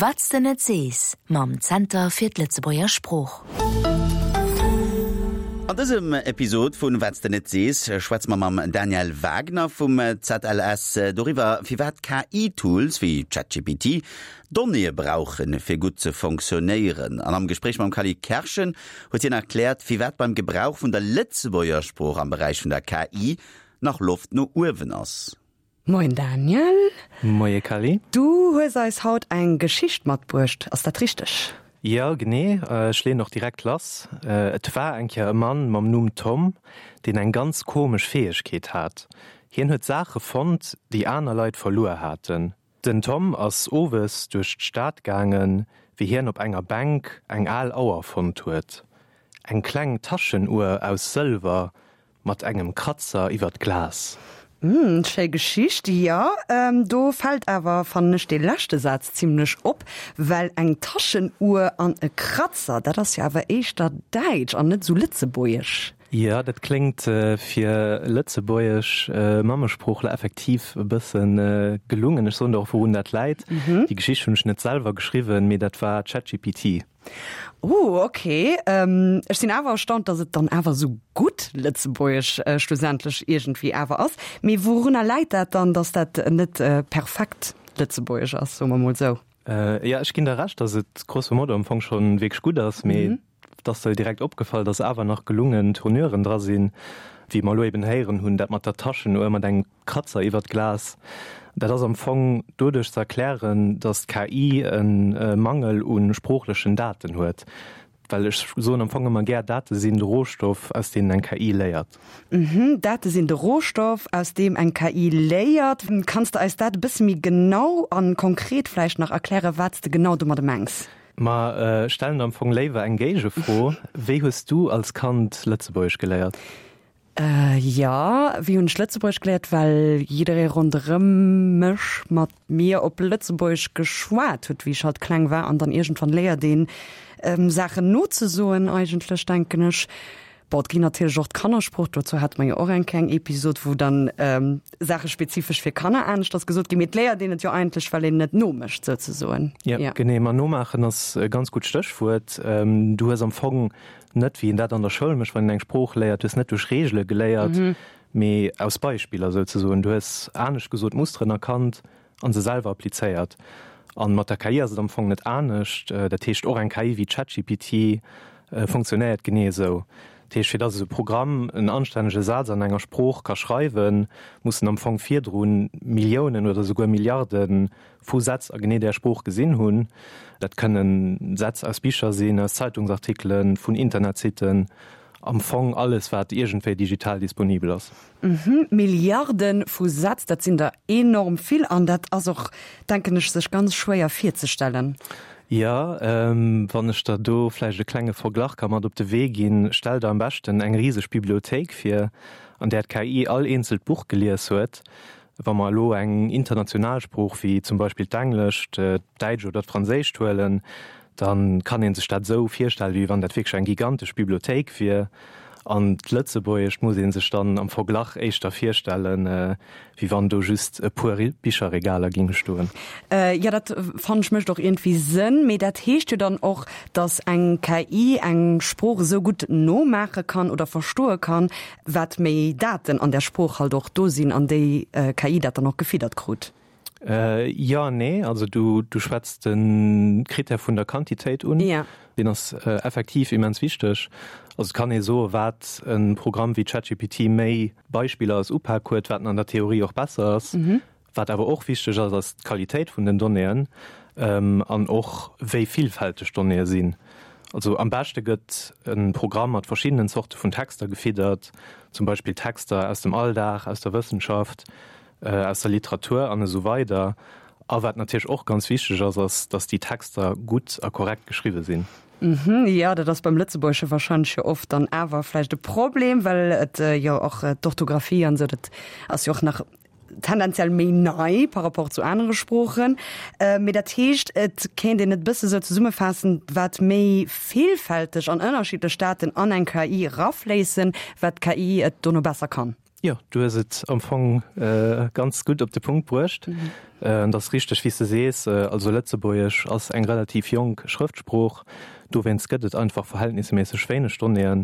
Wat s de net sees mam Zenter fir d'Lëtzebuerger Sprooch. An dësem Episod vun Wat s de net sees schwätze mer mam Daniel Wagner vum ZLS doriwwer, firwat KI-Tools wéi ChatGPT Donnéeë brauchen, fir gutt ze fonctionnéieren. An am Gespréich mam Cally Kerschen huet hien erkläert, firwat beim Gebrauch vun der Lëtzebuerger Sprooch am Beräich vun der KI nach Loft no uewen ass. Moien Daniel. Moie Cally. Du hues eis haut eng Geschicht matbruecht, ass dat richteg? Jo, genee. Ech leeën och direkt lass. Et war eng Kéier e Mann mam Numm Tom, deen eng ganz komesch Fäegkeet hat. Hien huet Saache fonnt, déi aner Leit verluer haten. Den Tom ass owes duerch d'Stad gaangen, wéi hien op enger Bänk eng al Auer fonnt huet. Eng kleng Taschenuer aus Sëlwer Mat engem Kratzer iwwer d'Glas. Hm, schéi Geschicht, jo. Do fält awer, fannen ech, dee leschte Saz zimlech op, well eng Taschenuhr an e Kratzer, dat ass jo awer éischter däitsch an net esou lëtzebuergesch. Jo, dat kléngt fir lëtzebuergesch Mammesproochler effektiv e bësse gelungen. Ech soen der och, wourun dat läit. Déi Geschicht hunn ech net selwer geschriwwen, mee dat war ChatGPT. Oh, ok. Ech sinn awer erstaunt, datt et dann awer esou gutt Lëtzebuergesch schlussendlech iergendwéi awer ass. Mee wourunner läit dat dann, datt dat net perfekt Lëtzebuergesch ass, soe mer mol esou? Jo, ech ginn der Recht, datt et grosso modo am Fong scho wierklech gutt ass, mee et ass der jo direkt opgefall, datt awer nach gelungen Tournuren dra sinn, wéi mer elo eben héieren hunn, dat mat der Taschenuhr, mat engem Kratzer iwwert d'Glas, dat ass am Fong doduerch ze erklären, datt d'KI e Mangel u sproochlechen Daten huet. Well ech soen am Fong ëmmer gär, Date sinn de Rohstoff, aus deenen eng KI léiert. Mhm, Date sinn de Rohstoff, aus deem eng KI léiert. Kanns de eis dat e bësse méi genau a konkret vläicht nach erklären, wat s de genau domadde mengs? Ma stellen der am Fong léiwer eng Géigefro, Wéi hues du als Kand Lëtzebuergesch geléiert? Jo, wéi hunn ech Lëtzebuergesch geléiert? Well jidderee ronderëm mech mat mir op Lëtzebuergesch geschwat huet, wéi ech halt kleng war. An dann iergendwann léiert een, Saachen nozesoen eigentlech, denken ech. Bon, et ginn natierlech och d'Kannersprooch, dozou hate mer jo och eng kleng Episod, wou dann Saache spezifesch fir Kanner aneschters gesot ginn. Mee et léiert een et jo eigentlech, well een et nomécht souzesoen. Jo, genee. Ma nomaachen ass e ganz gutt Stéchwuert. Du hues am Fong Net wéi een dat an der Schoul mécht, wann een eng Sprooch léiert. Du hues net duerch Reegele geléiert, mee aus Beispiller souzesoen. Du hues, anescht gesot, Musteren erkannt a se selwer applizéiert. A mat der KI ass et am Fong net anescht. Dat heescht, och eng KI wéi ChatGPT funktionéiert genee esou. Dat heescht, fir datt esou e Programm en anstännege Saz an enger Sprooch ka schreiwen, muss en am Fong virdru Milliounen oder souguer Milliarde vu Sätz a genee där Sprooch gesinn hunn. Dat kënnen Sätz aus Bicher sinn, aus Zeitungsartikelen, vun Internetsitten, am Fong alles, wat iergendwéi digital disponibel ass. Milliarde vu Sätz, dat sinn der enorm vill an dat ass och, denken ech, sech ganz schwéier virzestellen. Jo, wann ech der do vläicht e klenge Verglach ka mat op de Wee ginn, Stell der am beschten eng riseg Bibliothéik vir, an där d'KI all eenzelt Buch gelies huet. Wa mer elo eng international Sprooch wéi zum Beispill d'Englescht, d'Däitscht oder d'Franséischt huelen, da kann ee sech dat esou virstellen, wéi wann dat wierklech eng gigantesch Bibliothéik wier. An d'Lëtzebuergescht muss ee sech dann am Verglach éischter virstellen, wéi wann do just e puer Bicherregaler géinge stoen. Jo, dat fannen ech mécht och iergendwéi Sënn. Mee dat heescht jo dann och, datt eng KI eng Sprooch esou gutt nomaache kann oder verstoe kann, Wat méi Daten an där Sprooch halt och do sinn an déi KI dat dann och gefiddert krut. Jo an nee. Also du du schwätz de Critère vun der Quantitéit un. Ja. Deen ass effektiv immens wichteg. Also et kann ee soe wat e Programm wéi ChatGPT méi Beispiller als Upak huet, wat en an der Theorie och besser ass. Wat awer och wichteg ass, ass d'Qualitéit vun den Donnéeën an och wéi villfälteg d'Donnéeë sinn. Also am beschte gëtt e Programm mat verschiddenen Zorte vun Texter gefiddert, zum Beispill Texter aus dem Alldag, aus der Wëssenschaft, aus der Literatur an esou weider. A wat natierlech och ganz wichteg ass, ass, datt déi Texter gutt a korrekt geschriwwe sinn. Jo, dat ass beim Lëtzebuergesche warscheinlech jo oft dann awer vläicht e Problem, well et jo och d'Orthografie an esou, dat ass jo och nach tendenziell méi nei par rapport zu anere Sproochen. Mee dat heescht, et kéint een et e bësse sou zesummefaassen, wat méi villfälteg an ënnerschiddlech Daten an eng KI erafléissen, wat d'KI et dono besser kann. Jo, du hues et am Fong ganz gutt op de Punkt bruecht. Et ass richteg, wéi s de sees, also Lëtzebuergesch ass eng relativ jonk Schrëftsprooch, dowéinst gëtt et einfach verhältnisméisseg wéineg Donnéeën.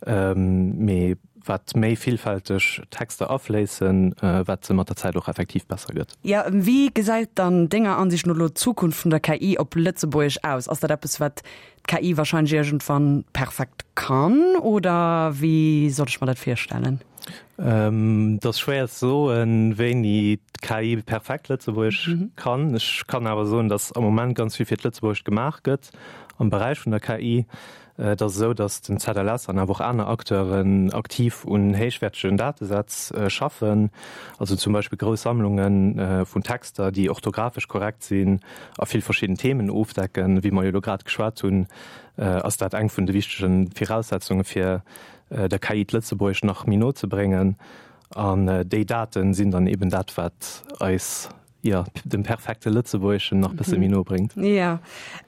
Mee wat méi villfälteg Texter afléissen, wat se mat der Zäit och effektiv besser gëtt. Jo, wéi gesäit dann denger Ansicht no elo d'Zukunft vun der KI op Lëtzebuergesch aus? Ass dat eppes, wat d'KI wahrscheinlech iergendwann perfekt kann oder wéi soll ech mer dat virstellen? Et ass schwéier ze soen, wéini d'KI perfekt Lëtzebuergesch kann. Ech kann awer soen, datt am Moment ganz vill fir d'Lëtzebuergescht gemaach gëtt am Beräich vun der KI. Et ass esou, datt den ZLS an awer och aner Acteuren aktiv un héichwäertegen Datesätz schaffen, also zum Beispill grouss Sammlunge vun Texter, déi orthografesch korrekt sinn a vill verschidden Themen ofdecken. Wéi mer jo elo grad geschwat hunn, ass dat eng vun de wichtege Viraussetzunge fir der KI d'Lëtzebuergescht nach méi no ze bréngen. An déi Date sinn dann eben dat, wat eis jo, dem perfekte Lëtzebuergeschen nach bësse méi no bréngt. Jo,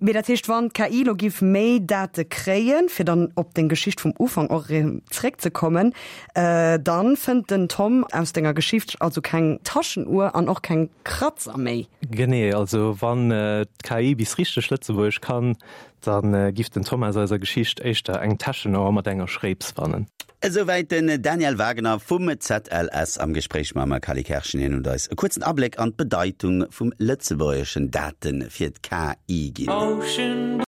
mee dat heescht, wann d'KI lo giff méi Date kréien, fir dann op deng Geschicht vum Ufank och erëm zréckzekommen, dann fënnt den Tom aus denger Geschicht also keng Taschenuhr an och keng Kratzer méi. Genee, also wann d'KI bis richteg Lëtzebuergesch kann, Da giff den Tom aus eiser Geschicht éischter eng Täschenauer mat enger Schréips fannen. Esouwäit den Daniel Wagener vum ZLS am Gespréich mam Cally Kerschen. Hien huet eis e kuerzen Abléck an d'Bedeitung vum lëtzebuergeschen Date fir d'KI ginn.